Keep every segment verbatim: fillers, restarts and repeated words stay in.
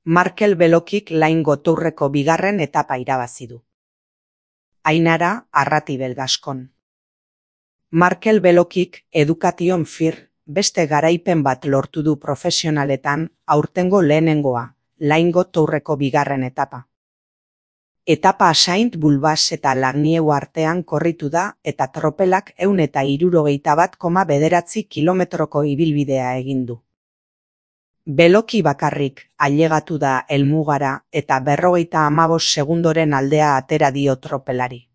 Markel Belokik Laingo Tourreko bigarren etapa irabazi du. Ainara Arratibel Gaskon. Markel Belokik Education Fir beste garaipen bat lortu du profesionaletan aurtengo lehenengoa, Laingo Tourreko bigarren etapa. Etapa Saint Bulbas eta Lagnieu artean korritu da eta tropelak ehun eta hirurogeita bat koma bederatzi kilometroko ibilbidea egin du. Beloki bakarrik ailegatu da helmugara eta berrogeita hamabost segundoren aldea atera dio tropelari.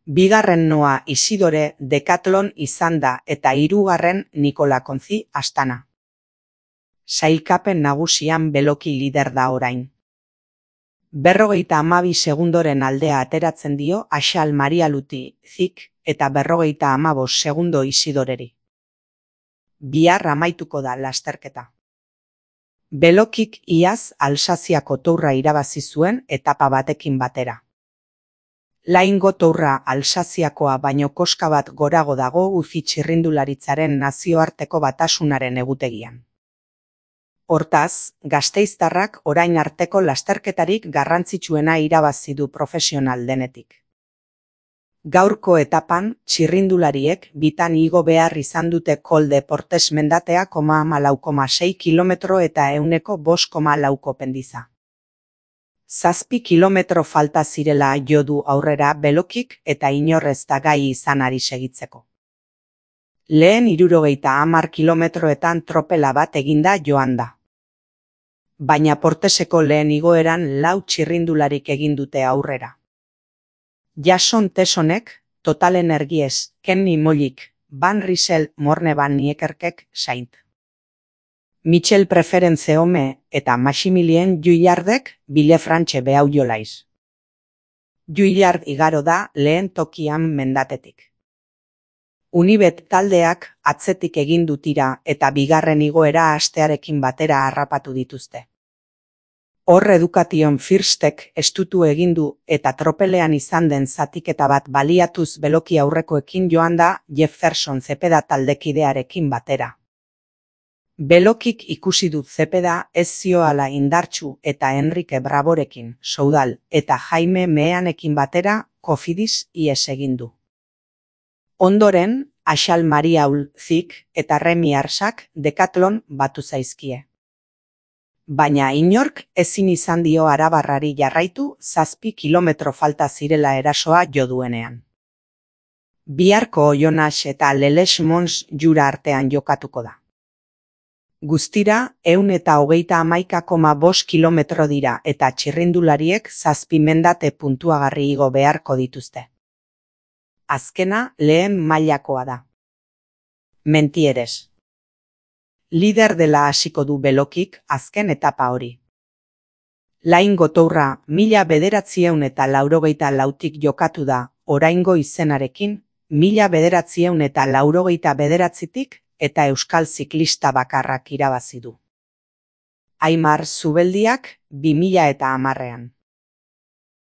Bigarren Noa Isidore Decathlon izan da eta hirugarren Nikola Kontzi Astana. Sailkapen nagusian Beloki lider da orain. Berrogeita hamabi segundoren aldea ateratzen dio Axal Marialuti Zik eta berrogeita hamabost segundo Isidoreri. Bihar amaituko da lasterketa. Belokik iaz Alsaziako tourra irabazi zuen etapa batekin batera. Laingo Tourra Alsaziakoa baino koska bat gorago dago uzi txirrindularitzaren nazioarteko batasunaren egutegian. Hortaz, gasteiztarrak orain arteko lasterketarik garrantzitsuena irabazi du profesional denetik. Gaurko etapan, txirrindulariek bitan igo behar izan dute Col de Portes mendatea koma hamalau koma sei kilometro eta ehuneko bost koma lauko pendiza. Zazpi kilometro falta zirela jo du aurrera Belokik eta inorrez da gai izan ari segitzeko. Lehen hirurogeita hamar kilometroetan tropela bat eginda joan da. Baina Porteseko lehen igoeran lau txirrindularik egin dute aurrera. Jason Tesonek, Total Energies, Kenny Mollik, Van Rysel, Morne Van Niekerkek, Saint. Michel Preference Home eta Maximilien Juillardek Villefranche Beaujolais. Juillard igaro da lehen tokian mendatetik. Unibet taldeak atzetik egin du tira eta bigarren igoera hastearekin batera harrapatu dituzte. Hor Education Firstek estutu egin du eta tropelean izan den zatiketa bat baliatuz Beloki aurrekoekin joan da Jefferson Zepeda taldekidearekin batera. Belokik ikusi dut Zepeda ez zioala indartsu eta Enrique Bravorekin, Soudal eta Jaime Meanekin batera Cofidis ihes egin du. Ondoren, Axal Mariaul Zik eta Remy Arsak Decathlon batu zaizkie. Baina inork ezin izan dio arabarrari jarraitu zazpi kilometro falta zirela erasoa jo duenean. Biharko Oyonnax eta Lelex Mons Jura artean jokatuko da. Guztira, ehun eta hogeita hamaika koma bost kilometro dira eta txirrindulariek zazpi mendate puntuagarri igo beharko dituzte. Azkena lehen mailakoa da. Mentieres. Lider dela hasiko du Belokik azken etapa hori. Laingo Tourra mila bederatziehun eta laurogeita lautik jokatu da oraingo izenarekin, mila bederatziehun eta laurogeita bederatzitik eta euskal ziklista bakarrak irabazi du. Aimar Zubeldiak bi mila eta hamarrean.